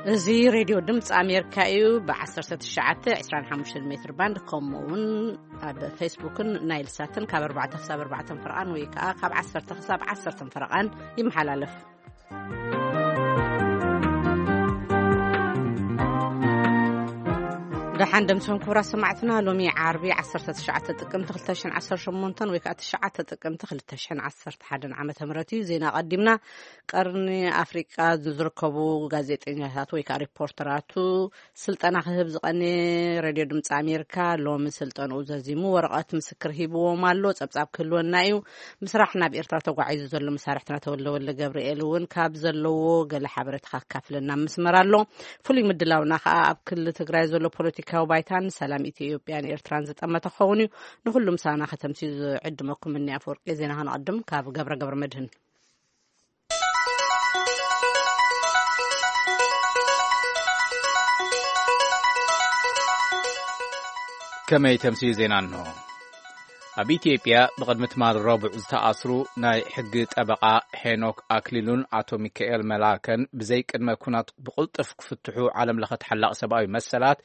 እዚ ሬድዮ ድምፂ ኣሜሪካ እዩ። ብ19፣ 25 ሜትር ባንድ፣ ከምኡ እውን ኣብ ፌስቡክን ናይል ሳትን ካብ ኣርባዕተ ክሳብ ኣርባዕተ ፍርቓን ወይ ከዓ ካብ ዓሰርተ ክሳብ ዓሰርተ ፍርቓን ይመሓላለፍ። ደሓን ደምሶም ክቡራት ሰማዕትና፣ ሎሚ ዓርቢ ዓሰርተ ትሽዓተ ጥቅምቲ ክልተ ሽሕን ዓሰርተ ሸሞንተን ወይ ከዓ ትሽዓተ ጥቅምቲ ክልተ ሽሕን ዓሰርተ ሓደን ዓመተ ምህረት እዩ። ዜና ቀዲምና። ቀርኒ ኣፍሪቃ ዝርከቡ ጋዜጠኛታት ወይ ከዓ ሪፖርተራቱ ስልጠና ክህብ ዝቐነ ሬድዮ ድምፂ ኣሜሪካ ሎሚ ስልጠንኡ ዘዚሙ ወረቐት ምስክር ሂብዎም ኣሎ። ጸብጻብ ክህልወና እዩ። ምስራሕ ናብ ኤርትራ ተጓዒዙ ዘሎ መሳርሕትና ተወልደ ወልደ ገብርኤል እውን ካብ ዘለዎ ገለ ሓበሬታ ካካፍለና ምስመር ኣሎ። ፍሉይ ምድላውና ከዓ ኣብ ክልል ትግራይ ዘሎ ፖለቲካዊ ባይታን ሰላም ኢትዮጵያን ኤርትራን ዝጠመተ ክኸውን እዩ። ንኹሉ ምሳና ከተምስዩ ዝዕድመኩም እኒ ኣፈወርቂ። ዜና ከነቐድም ካብ ገብረ ገብረ መድህን። ከመይ ተምስዩ ዜና እንሆ። ኣብ ኢትዮጵያ ብቕድሚ ትማል ረቡዕ ዝተኣስሩ ናይ ሕጊ ጠበቓ ሄኖክ ኣክሊሉን ኣቶ ሚካኤል መላከን ብዘይ ቅድመ ኩናት ብቕልጡፍ ክፍትሑ ዓለም ለኸ ተሓላቒ ሰብኣዊ መሰላት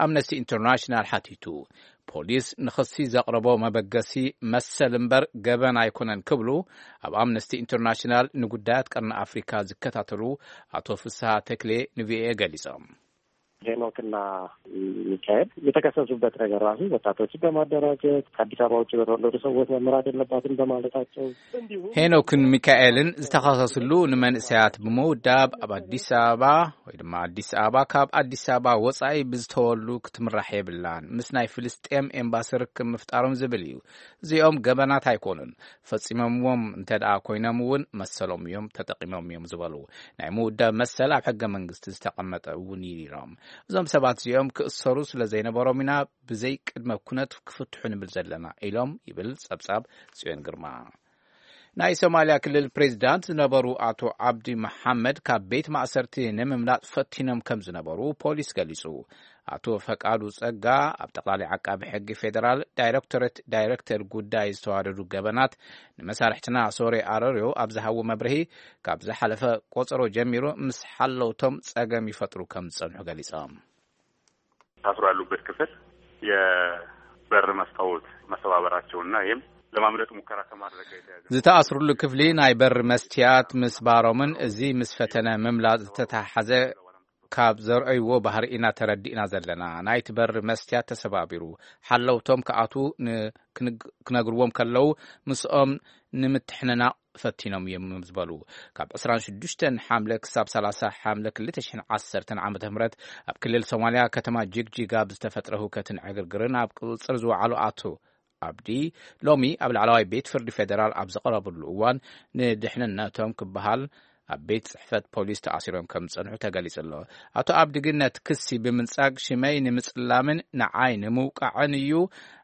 ኣምነስቲ ኢንተርናሽናል ሓቲቱ። ፖሊስ ንኽሲ ዘቕረቦ መበገሲ መሰል እምበር ገበን ኣይኮነን ክብሉ ኣብ ኣምነስቲ ኢንተርናሽናል ንጉዳያት ቀርኒ ኣፍሪካ ዝከታተሉ ኣቶ ፍስሃ ተክሌ ንቪኦኤ ገሊጾም። ሄኖክና ሚካኤል የተከሰሱበት ነገር ራሱ ወጣቶችን በማደራጀት ከአዲስ አበባ ውጭ በተወለዱ ሰዎች መመራት የለባትም በማለታቸው፣ እንዲሁም ሄኖክን ሚካኤልን ዝተኸሰስሉ ንመንእሰያት ብምውዳብ ኣብ ኣዲስ ኣበባ ወይ ድማ ኣዲስ ኣበባ ካብ ኣዲስ ኣበባ ወጻኢ ብዝተወሉ ክትምራሕ የብላን፣ ምስ ናይ ፍልስጤም ኤምባሲ ርክብ ምፍጣሮም ዝብል እዩ። እዚኦም ገበናት ኣይኮኑን። ፈጺሞምዎም እንተ ደኣ ኮይኖም እውን መሰሎም እዮም ተጠቂሞም እዮም ዝበሉ። ናይ ምውዳብ መሰል ኣብ ሕገ መንግስቲ ዝተቐመጠ እውን እዩ ኢሎም። እዞም ሰባት እዚኦም ክእሰሩ ስለ ዘይነበሮም ኢና ብዘይ ቅድመ ኩነት ክፍትሑ ንብል ዘለና ኢሎም ይብል ጸብጻብ ጽዮን ግርማ። ናይ ሶማሊያ ክልል ፕሬዚዳንት ዝነበሩ ኣቶ ዓብዲ መሓመድ ካብ ቤት ማእሰርቲ ንምምላጥ ፈቲኖም ከም ዝነበሩ ፖሊስ ገሊጹ። ኣቶ ፈቃዱ ጸጋ ኣብ ጠቕላሊ ዓቃቢ ሕጊ ፌደራል ዳይሬክቶሬት ዳይሬክተር ጉዳይ ዝተዋደዱ ገበናት ንመሳርሕትና ሶሬ ኣረርዮ ኣብ ዝሃቦ መብርሂ፣ ካብ ዝሓለፈ ቆጸሮ ጀሚሩ ምስ ሓለውቶም ጸገም ይፈጥሩ ከም ዝጸንሑ ገሊጾም። ታስሮ ያሉበት ክፍል የበር መስታወት መሰባበራቸውና ይህም ለማምለጥ ሙከራ ከማድረግ ጋር የተያዘ ዝተኣስሩሉ ክፍሊ ናይ በር መስትያት ምስባሮምን እዚ ምስ ፈተነ ምምላጥ ዝተተሓሓዘ ካብ ዘርእይዎ ባህሪ ኢና ተረዲእና ዘለና። ናይቲ በር መስትያት ተሰባቢሩ፣ ሓለውቶም ክኣትዉ ን-፣ ክንግ-፣ ክነግርዎም ከለዉ ምስኦም ንምትሕንናቕ ፈቲኖም እዮም ዝበሉ። ካብ ዕስራን ሽዱሽተን ሓምለ ክሳብ ሰላሳ ሓምለ ክልተ ሽሕን ዓሰርተን ዓመተ ምህረት ኣብ ክልል ሶማልያ ከተማ ጅግጂጋ ብዝተፈጥረ ህውከትን ዕግርግርን ኣብ ቁጽጽር ዝወዓሉ ኣቶ ኣብዲ ሎሚ ኣብ ላዕለዋይ ቤት ፍርዲ ፌደራል ኣብ ዝቐረብሉ እዋን ንድሕንነቶም ክበሃል ኣብ ቤት ጽሕፈት ፖሊስ ተኣሲሮም ከም ዝጸንሑ ተገሊጹ ኣሎ። ኣቶ ኣብዲ ግን ነቲ ክሲ ብምንጻግ ሽመይ ንምጽላምን ንዓይ ንምውቃዕን እዩ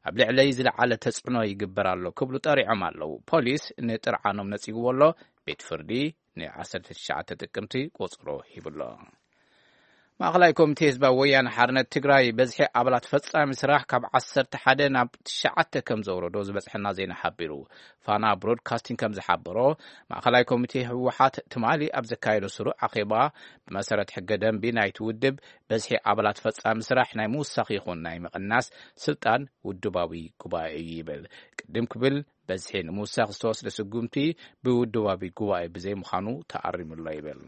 ኣብ ልዕለይ ዝለዓለ ተጽዕኖ ይግበር ኣሎ ክብሉ ጠሪዖም ኣለዉ። ፖሊስ ንጥርዓኖም ነጺግዎ ኣሎ። ቤት ፍርዲ ን19 ጥቅምቲ ቆጽሮ ሂብሎ። ማእኸላይ ኮሚቴ ህዝባዊ ወያነ ሓርነት ትግራይ በዝሒ ኣባላት ፈጻሚ ስራሕ ካብ ዓሰርተ ሓደ ናብ ትሽዓተ ከም ዘውረዶ ዝበጽሐና ዜና ሓቢሩ። ፋና ብሮድካስቲንግ ከም ዝሓበሮ፣ ማእኸላይ ኮሚቴ ህወሓት ትማሊ ኣብ ዘካየዶ ስሩዕ ኣኼባ ብመሰረት ሕገ ደንቢ ናይቲ ውድብ በዝሒ ኣባላት ፈጻሚ ስራሕ ናይ ምውሳኽ ይኹን ናይ ምቕናስ ስልጣን ውድባዊ ጉባኤ እዩ ይብል። ቅድም ክብል በዝሒ ንምውሳኽ ዝተወስደ ስጉምቲ ብውድባዊ ጉባኤ ብዘይምዃኑ ተኣሪሙሎ ይብል።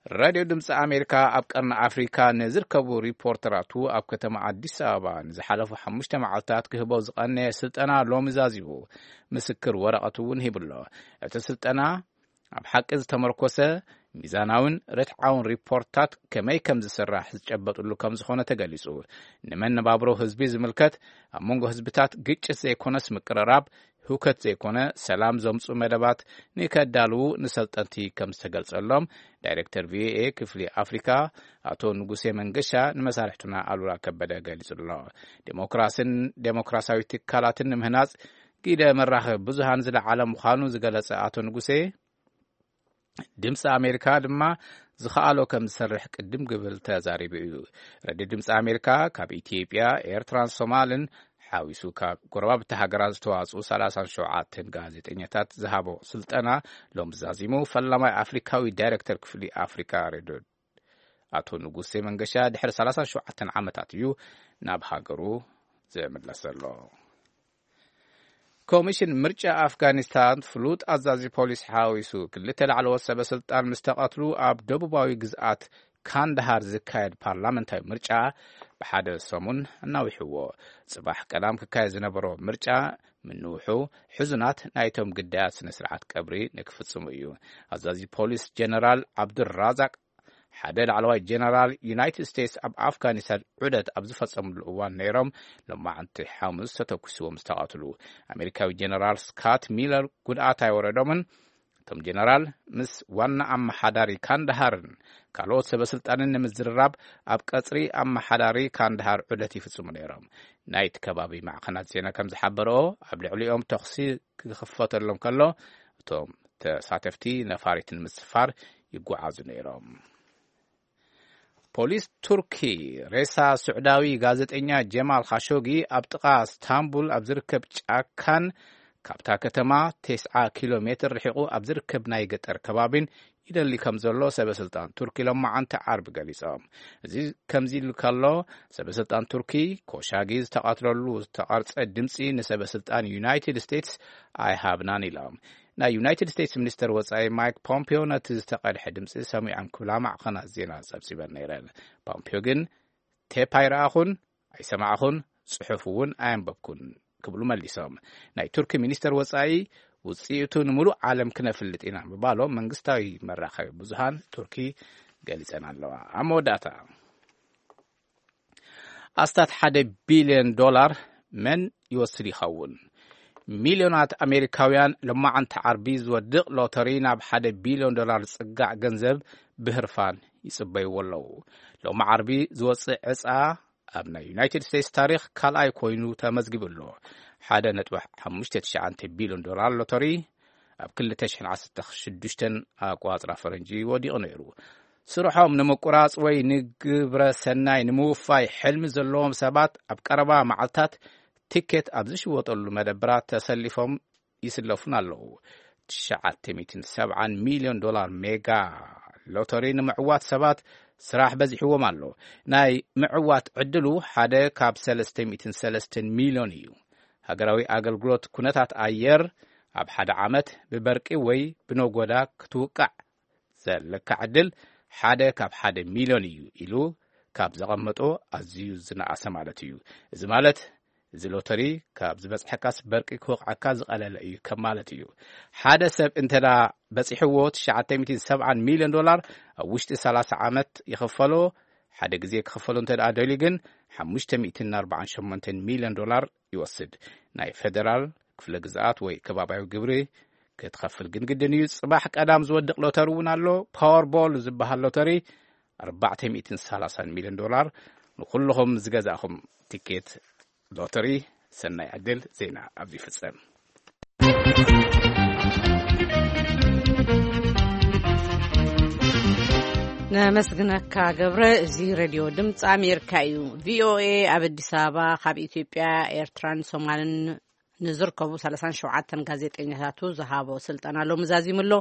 ራድዮ ድምፂ ኣሜሪካ ኣብ ቀርኒ ኣፍሪካ ንዝርከቡ ሪፖርተራቱ ኣብ ከተማ ኣዲስ ኣበባ ንዝሓለፉ ሓሙሽተ መዓልታት ክህቦ ዝቐነየ ስልጠና ሎሚ ዛዚሙ ምስክር ወረቐት እውን ሂብሎ። እቲ ስልጠና ኣብ ሓቂ ዝተመርኮሰ ሚዛናውን ርትዓውን ሪፖርታት ከመይ ከም ዝስራሕ ዝጨበጥሉ ከም ዝኾነ ተገሊጹ። ንመነባብሮ ህዝቢ ዝምልከት ኣብ መንጎ ህዝብታት ግጭት ዘይኮነስ ምቅርራብ፣ ህውከት ዘይኮነ ሰላም ዘምጹ መደባት ንከዳልዉ ንሰልጠንቲ ከም ዝተገልጸሎም ዳይሬክተር ቪኦኤ ክፍሊ ኣፍሪካ ኣቶ ንጉሴ መንገሻ ንመሳርሕቱና ኣሉላ ከበደ ገሊጹ ኣሎ። ዴሞክራስን ዴሞክራሲያዊ ትካላትን ንምህናጽ ግደ መራኸቢ ብዙሃን ዝለዓለ ምዃኑ ዝገለጸ ኣቶ ንጉሴ፣ ድምፂ ኣሜሪካ ድማ ዝኸኣሎ ከም ዝሰርሕ ቅድም ክብል ተዛሪቡ እዩ። ረድዮ ድምፂ ኣሜሪካ ካብ ኢትዮጵያ፣ ኤርትራን ሶማልን ሓዊሱ ካብ ጎረባብቲ ሃገራት ዝተዋፅኡ ሰላሳን ሸውዓተን ጋዜጠኛታት ዝሃቦ ስልጠና ሎም ዛዚሙ ፈላማይ ኣፍሪካዊ ዳይሬክተር ክፍሊ ኣፍሪካ ሬድዮ ኣቶ ንጉሴ መንገሻ ድሕሪ ሰላሳን ሸውዓተን ዓመታት እዩ ናብ ሃገሩ ዝምለስ ዘሎ። ኮሚሽን ምርጫ ኣፍጋኒስታን ፍሉጥ ኣዛዚ ፖሊስ ሓዊሱ ክልተ ላዕለዎት ሰበ ስልጣን ምስ ተቐትሉ፣ ኣብ ደቡባዊ ግዝኣት ካንዳሃር ዝካየድ ፓርላመንታዊ ምርጫ ብሓደ ሰሙን ኣናዊሕዎ። ጽባሕ ቀዳም ክካየድ ዝነበሮ ምርጫ ምንውሑ፣ ሕዙናት ናይቶም ግዳያት ስነ ስርዓት ቀብሪ ንክፍጽሙ እዩ። ኣዛዚ ፖሊስ ጀነራል ዓብዱራዛቅ ሓደ ላዕለዋይ ጀነራል ዩናይትድ ስቴትስ ኣብ ኣፍጋኒስታን ዑደት ኣብ ዝፈጸምሉ እዋን ነይሮም፣ ሎማዕንቲ ሓሙስ ተተኩስዎም ዝተቐትሉ። ኣሜሪካዊ ጀነራል ስካት ሚለር ጉድኣት ኣይወረዶምን። እቶም ጀነራል ምስ ዋና ኣመሓዳሪ ካንዳሃርን ካልኦት ሰበ ስልጣንን ንምዝርራብ ኣብ ቀጽሪ ኣመሓዳሪ ካንዳሃር ዑደት ይፍጽሙ ነይሮም። ናይቲ ከባቢ ማዕኸናት ዜና ከም ዝሓበረኦ፣ ኣብ ልዕሊኦም ተኹሲ ክኽፈተሎም ከሎ፣ እቶም ተሳተፍቲ ነፋሪት ንምስፋር ይጓዓዙ ነይሮም። ፖሊስ ቱርኪ ሬሳ ስዑዳዊ ጋዜጠኛ ጀማል ኻሾጊ ኣብ ጥቓ ስታንቡል ኣብ ዝርከብ ጫካን ካብታ ከተማ ተስዓ ኪሎ ሜትር ርሒቑ ኣብ ዝርከብ ናይ ገጠር ከባቢን ይደሊ ከም ዘሎ ሰበ ስልጣን ቱርኪ ሎማዓንቲ ዓርቢ ገሊጾም። እዚ ከምዚ ኢሉ ከሎ፣ ሰበ ስልጣን ቱርኪ ኮሻጊ ዝተቐትለሉ ዝተቐርጸ ድምጺ ንሰበ ስልጣን ዩናይትድ ስቴትስ ኣይሃብናን ኢሎም። ናይ ዩናይትድ ስቴትስ ሚኒስተር ወጻኢ ማይክ ፖምፒዮ ነቲ ዝተቐድሐ ድምጺ ሰሚዖም ክብላ ማዕኸናት ዜና ጸብጺበን ነይረን። ፖምፒዮ ግን ቴፕ ኣይረኣኹን፣ ኣይሰማዕኹን፣ ጽሑፍ እውን ኣየንበብኩን ክብሉ መሊሶም። ናይ ቱርኪ ሚኒስተር ወጻኢ ውጽኢቱ ንምሉእ ዓለም ክነፍልጥ ኢና ምባሎም መንግስታዊ መራኸቢ ብዙሃን ቱርኪ ገሊጸን ኣለዋ። ኣብ መወዳእታ፣ ኣስታት ሓደ ቢልዮን ዶላር መን ይወስድ ይኸውን? ሚልዮናት ኣሜሪካውያን ሎማዓንቲ ዓርቢ ዝወድቕ ሎተሪ ናብ ሓደ ቢልዮን ዶላር ዝጽጋዕ ገንዘብ ብህርፋን ይጽበይዎ ኣለዉ። ሎሚ ዓርቢ ዝወጽእ ዕጻ ኣብ ናይ ዩናይትድ ስቴትስ ታሪኽ ካልኣይ ኮይኑ ተመዝጊቡ ኣሎ። ሓደ ነጥቢ ሓሙሽተ ትሽዓተ ቢልዮን ዶላር ሎተሪ ኣብ ክልተ ሽሕን ዓሰርተ ሽዱሽተን ኣቋጽራ ፈረንጂ ወዲቑ ነይሩ። ስርሖም ንምቁራጽ ወይ ንግብረ ሰናይ ንምውፋይ ሕልሚ ዘለዎም ሰባት ኣብ ቀረባ መዓልታት ቲኬት ኣብ ዝሽወጠሉ መደብራት ተሰሊፎም ይስለፉን ኣለዉ። ትሽዓተ ሚእትን ሰብዓን ሚልዮን ዶላር ሜጋ ሎተሪ ንምዕዋት ሰባት ስራሕ በዚሕዎም ኣሎ። ናይ ምዕዋት ዕድሉ ሓደ ካብ ሰለስተ ሚእትን ሰለስተን ሚልዮን እዩ። ሃገራዊ ኣገልግሎት ኩነታት ኣየር ኣብ ሓደ ዓመት ብበርቂ ወይ ብነጎዳ ክትውቃዕ ዘለካ ዕድል ሓደ ካብ ሓደ ሚልዮን እዩ ኢሉ ካብ ዘቐመጦ ኣዝዩ ዝነኣሰ ማለት እዩ። እዚ ማለት እዚ ሎተሪ ካብ ዝበጽሐካስ በርቂ ክወቕዐካ ዝቐለለ እዩ ከም ማለት እዩ። ሓደ ሰብ እንተ ደኣ በጺሕዎ ትሽዓተ ሚእትን ሰብዓን ሚልዮን ዶላር ኣብ ውሽጢ ሰላሳ ዓመት ይኽፈሎ። ሓደ ግዜ ክኽፈሎ እንተ ደኣ ደልዩ ግን ሓሙሽተ ሚእትን ኣርባዓን ሸሞንተን ሚልዮን ዶላር ይወስድ። ናይ ፌደራል ክፍለ ግዝኣት ወይ ከባብያዊ ግብሪ ክትኸፍል ግን ግድን እዩ። ጽባሕ ቀዳም ዝወድቕ ሎተሪ እውን ኣሎ። ፓወርቦል ዝበሃል ሎተሪ ኣርባዕተ ሚእትን ሰላሳን ሚልዮን ዶላር ንኹልኹም ዝገዛእኹም ቲኬት ሎተሪ ሰናይ ዕድል። ዜና ኣብዚ ይፍጸም። ነመስግነካ ገብረ። እዚ ሬድዮ ድምፂ ኣሜሪካ እዩ። ቪኦኤ ኣብ ኣዲስ ኣበባ ካብ ኢትዮጵያ፣ ኤርትራን ሶማልን ንዝርከቡ ሰላሳን ሸውዓተን ጋዜጠኛታቱ ዝሃቦ ስልጠና ሎሚ ዛዚሙ ኣሎ።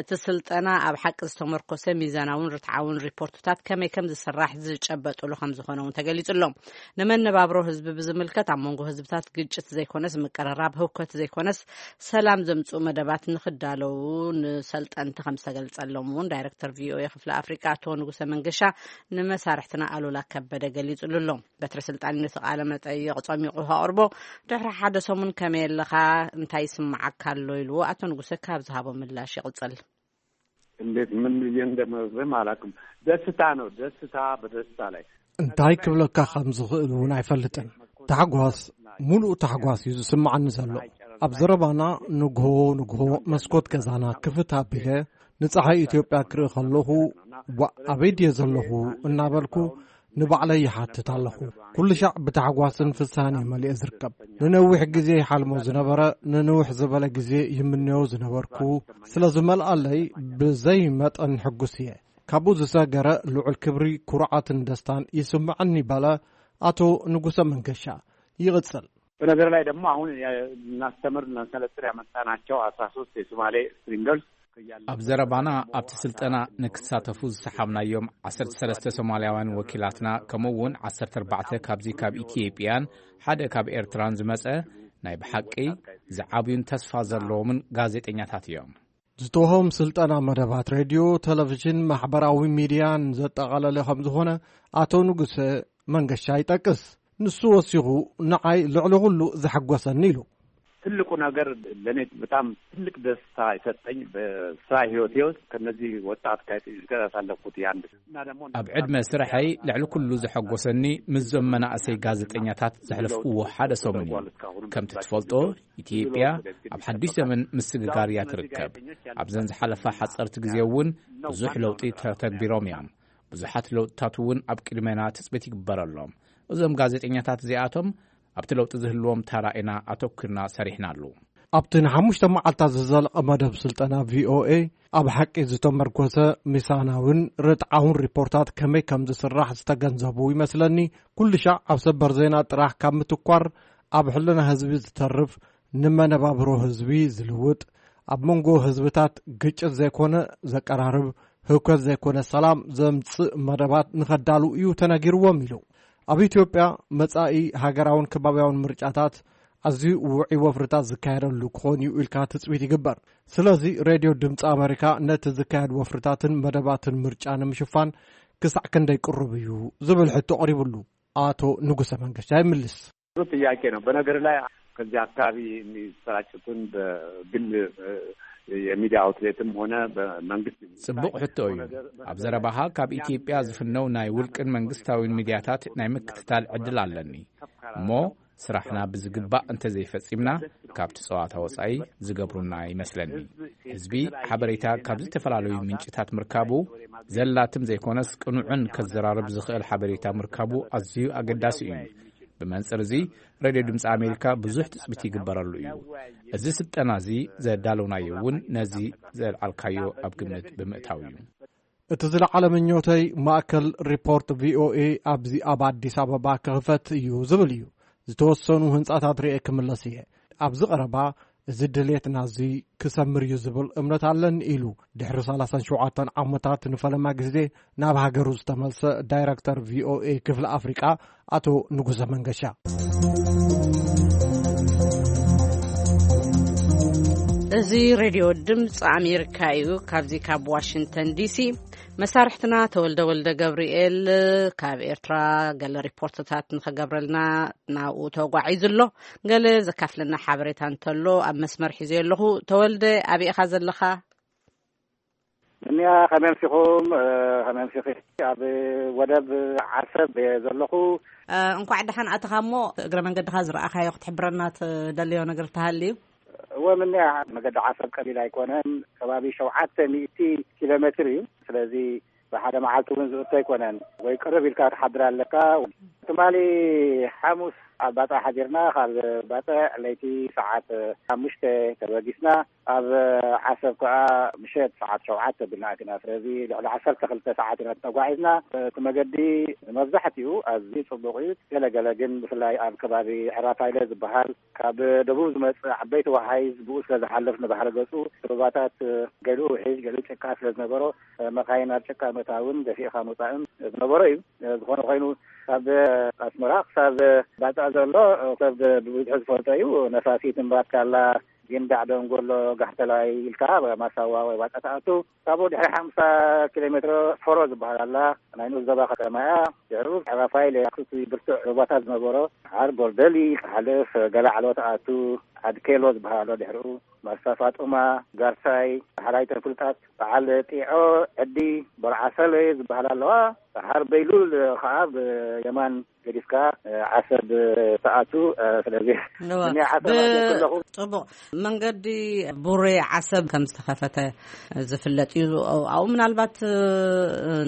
እቲ ስልጠና ኣብ ሓቂ ዝተመርኮሰ ሚዛናውን ርትዓውን ሪፖርትታት ከመይ ከም ዝስራሕ ዝጨበጥሉ ከም ዝኾነ እውን ተገሊጹ ኣሎ። ንመነባብሮ ህዝቢ ብዝምልከት ኣብ መንጎ ህዝብታት ግጭት ዘይኮነስ ምቅርራብ፣ ህውከት ዘይኮነስ ሰላም ዘምጽኡ መደባት ንክዳለዉ ንሰልጠንቲ ከም ዝተገልጸሎም እውን ዳይሬክተር ቪኦኤ ክፍሊ ኣፍሪቃ ኣቶ ንጉሰ መንገሻ ንመሳርሕትና ኣሉላ ከበደ ገሊጹሉ ኣሎ። በትሪ ስልጣን ነቲ ቃለ መጠይቕ ጸሚቑ ከቕርቦ ድሕሪ ሓደ ሰሙን ከመይ ኣለኻ፣ እንታይ ይስምዓካ ኣሎ ኢልዎ ኣቶ ንጉሰ ካብ ዝሃቦ ምላሽ ይቕጽል። እንዴት ምን ብዬ እንደምነግርህም አላውቅም። ደስታ ነው፣ ደስታ በደስታ ላይ። እንታይ ክብለካ ከም ዝኽእል እውን ኣይፈልጥን። ታሕጓስ፣ ሙሉእ ታሕጓስ እዩ ዝስምዓኒ ዘሎ። ኣብ ዘረባና ንግሆ ንግሆ መስኮት ገዛና ክፍት ኣቢለ ንፀሓይ ኢትዮጵያ ክርኢ ከለኹ፣ ዋእ፣ ኣበይ ድየ ዘለኹ እናበልኩ ንባዕለይ ይሓትት ኣለኹ። ኩሉ ሻዕ ብታሕጓስን ፍስሃን እየ መሊኤ ዝርከብ። ንነዊሕ ግዜ ይሓልሞ ዝነበረ፣ ንንውሕ ዝበለ ግዜ ይምነዮ ዝነበርኩ፣ ስለ ዝመልኣለይ ብዘይ መጠን ሕጉስ እየ። ካብኡ ዝሰገረ ልዑል ክብሪ፣ ኩርዓትን ደስታን ይስምዐኒ በለ ኣቶ ንጉሰ መንገሻ። ይቕጽል። በነገር ላይ ደግሞ አሁን እናስተምር እናሰለጥን ያመጣናቸው አስራ ሶስት የሶማሌ ስትሪንገርስ ኣብ ዘረባና ኣብቲ ስልጠና ንክሳተፉ ዝሰሓብናዮም ዓሰርተ ሰለስተ ሶማልያውያን ወኪላትና፣ ከምኡ እውን ዓሰርተ ኣርባዕተ ካብዚ ካብ ኢትዮጵያን ሓደ ካብ ኤርትራን ዝመጸ ናይ ብሓቂ ዝዓብዩን ተስፋ ዘለዎምን ጋዜጠኛታት እዮም። ዝተወሃቦም ስልጠና መደባት ሬድዮ፣ ቴሌቪዥን፣ ማሕበራዊ ሚድያን ዘጠቓለለ ከም ዝኾነ ኣቶ ንጉሰ መንገሻ ይጠቅስ። ንሱ ወሲኹ፣ ንዓይ ልዕሊ ኩሉ ዘሐጎሰኒ ኢሉ። ትልቁ ነገር ለእኔ በጣም ትልቅ ደስታ የሰጠኝ በስራ ህይወቴ ውስጥ ከነዚህ ወጣት ጋዜጠኞች ጋር ያሳለፍኩት የአንድ እና ደግሞ ኣብ ዕድመ ስርሐይ ልዕሊ ኩሉ ዘሐጎሰኒ ምስዞም መናእሰይ ጋዜጠኛታት ዘሕለፍኩዎ ሓደ ሰሙን እዩ። ከምቲ ትፈልጦ፣ ኢትዮጵያ ኣብ ሓድሽ ዘመን ምስግጋር እያ ትርከብ። ኣብዘን ዝሓለፋ ሓጸርቲ ግዜ እውን ብዙሕ ለውጢ ተተግቢሮም እዮም። ብዙሓት ለውጥታት እውን ኣብ ቅድሜና ትጽቢት ይግበረሎም። እዞም ጋዜጠኛታት እዚኣቶም ኣብቲ ለውጢ ዝህልዎም ታራ ኢና ኣተኩርና ሰሪሕናሉ። ኣብቲ ንሓሙሽተ መዓልታት ዝዘለቐ መደብ ስልጠና ቪኦኤ ኣብ ሓቂ ዝተመርኮሰ ሚሳናውን ርትዓውን ሪፖርታት ከመይ ከም ዝስራሕ ዝተገንዘቡ ይመስለኒ። ኩሉ ሻዕ ኣብ ሰበር ዜና ጥራሕ ካብ ምትኳር፣ ኣብ ሕልና ህዝቢ ዝተርፍ፣ ንመነባብሮ ህዝቢ ዝልውጥ፣ ኣብ መንጎ ህዝብታት ግጭት ዘይኮነ ዘቀራርብ፣ ህውከት ዘይኮነ ሰላም ዘምጽእ መደባት ንኸዳሉ እዩ ተነጊርዎም ኢሉ። ኣብ ኢትዮጵያ መጻኢ ሃገራውን ከባብያውን ምርጫታት ኣዝዩ ውዑይ ወፍርታት ዝካየደሉ ክኾን እዩ ኢልካ ትጽቢት ይግበር። ስለዚ ሬድዮ ድምፂ ኣሜሪካ ነቲ ዝካየድ ወፍርታትን መደባትን ምርጫ ንምሽፋን ክሳዕ ክንደይ ቅሩብ እዩ ዝብል ሕቶ ቀሪብሉ። ኣቶ ንጉሰ መንገሻ ይምልስ። ጥሩ ጥያቄ ነው። በነገር ላይ ከዚህ አካባቢ የሚሰራጩትን በግል፣ እ፣ የሚዲያ አውትሌትም ሆነ በመንግስት ጽቡቕ ሕቶ እዩ። ኣብ ዘረባኻ፣ ካብ ኢትዮጵያ ዝፍነው ናይ ውልቅን መንግስታዊን ሚድያታት ናይ ምክትታል ዕድል ኣለኒ። እሞ ስራሕና ብዝግባእ እንተዘይፈጺምና፣ ካብቲ ጸዋታ ወጻኢ ዝገብሩና ይመስለኒ። ህዝቢ ሓበሬታ ካብ ዝተፈላለዩ ምንጭታት ምርካቡ ዘላትም ዘይኮነስ፣ ቅኑዕን ከዘራርብ ዝኽእል ሓበሬታ ምርካቡ ኣዝዩ ኣገዳሲ እዩ። ብመንጽር እዚ፣ ሬድዮ ድምፂ ኣሜሪካ ብዙሕ ትጽቢት ይግበረሉ እዩ። እዚ ስልጠና እዚ ዘዳለውናዮ እውን ነዚ ዘልዓልካዮ ኣብ ግምት ብምእታው እዩ። እቲ ዝለዓለ ምኞተይ፣ ማእከል ሪፖርት ቪኦኤ ኣብዚ ኣብ ኣዲስ ኣበባ ክኽፈት እዩ ዝብል እዩ። ዝተወሰኑ ህንጻታት ርኤ ክምለስ እየ። ኣብዚ ቀረባ እዚ ድሌትና እዚ ክሰምር እዩ ዝብል እምነት ኣለኒ ኢሉ ድሕሪ ሰላሳን ሸውዓተን ዓመታት ንፈለማ ግዜ ናብ ሃገሩ ዝተመልሰ ዳይረክተር ቪኦኤ ክፍሊ ኣፍሪቃ ኣቶ ንጉሰ መንገሻ። እዚ ሬድዮ ድምፂ ኣሜሪካ እዩ። ካብዚ ካብ ዋሽንግተን ዲሲ መሳርሕትና ተወልደ ወልደ ገብርኤል ካብ ኤርትራ ገለ ሪፖርትታት ንኸገብረልና ናብኡ ተጓዒዙ ኣሎ። ገለ ዘካፍለና ሓበሬታ እንተሎ ኣብ መስመር ሒዘዮ ኣለኹ። ተወልደ፣ ኣበይ ኢኻ ዘለኻ? እኒኣ፣ ከመይ ኣምሲኹም? እ፣ ከመይ ኣምሲኺ? ኣብ ወደብ ዓሰብ እየ ዘለኹ። እ፣ እንኳዕ ደሓን ኣተኻ። እሞ እግረ መንገድኻ ዝረኣኻዮ ክትሕብረና ትደልዮ ነገር ተሃልዩ? እወ፣ ምንያ መገዲ ዓሰብ ቀሊል ኣይኮነን። ከባቢ ሸውዓተ ሚእቲ ኪሎ ሜትር እዩ። ስለዚ ብሓደ መዓልቲ እውን ዝእቶ ኣይኮነን። ወይ ቅርብ ኢልካ ትሓድር ኣለካ። ትማሊ ሓሙስ ኣብ ባጽዕ ሓዲርና፣ ካብ ባጽዕ ለይቲ ሰዓት ሓሙሽተ ተበጊስና፣ ኣብ ዓሰብ ከኣ ምሸት ሰዓት ሸውዓተ ብልና ኣቲና። ስለዚ ልዕሊ ዓሰርተ ክልተ ሰዓት ኢና ተጓዒዝና። እቲ መገዲ መብዛሕትኡ ኣዝዩ ጽቡቕ እዩ። ገለገለ ግን፣ ብፍላይ ኣብ ከባቢ ዕራፋይለ ዝበሃል፣ ካብ ደቡብ ዝመጽእ ዓበይቲ ወሓይዝ ብኡ ስለ ዝሓልፍ፣ ንባሕሪ ገጹ ሩባታት ገሊኡ ውሒጅ፣ ገሊኡ ጭቃ ስለ ዝነበሮ፣ መኻይን ኣብ ጭቃ ምእታውን ደፊእኻ ምውጻእን ዝነበሮ እዩ። ዝኾነ ኮይኑ፣ ካብ ኣስመራ ክሳብ ባጽዕ ዘሎ ሰብ ብብዝሒ ዝፈልጦ እዩ። ነፋሲት፣ እምባትካላ፣ ጊንዳዕ፣ ደንጎሎ፣ ጋሕተላይ ኢልካ ማሳዋ ወይ ባጽዕ ትኣቱ። ካብኡ ድሕሪ ሓምሳ ኪሎ ሜትሮ ፎሮ ዝበሃል ኣላ፣ ናይ ንኡስ ዞባ ከተማ እያ። ድሕሩ ዕራፋይለ፣ ኣብቲ ብርቱዕ ሩባታት ዝነበሮ፣ ዓር ጎርደሊ ክሓልፍ፣ ገለ ዓሎ ትኣቱ፣ ዓድ ኬሎ ዝበሃል ኣሎ። ድሕሩ ማስታ ፋጡማ፣ ጋርሳይ፣ ዳሕራይተን ፍሉጣት በዓል ጢዖ፣ ዕዲ፣ በርዓሰለ ዝበሃል ኣለዋ። ደሓር በይሉል ከኣ ብየማን ገዲፍካ፣ እ፣ ዓሰብ ትኣቱ። እ፣ ስለዚ እወ። እኔ ዓሰብ ብ-፣ ኣትየ ከለኹ ጽቡቕ። መንገዲ ቡሬ ዓሰብ ከም ዝተኸፈተ ዝፍለጥ እዩ። ኣብኡ ምናልባት፣ እ፣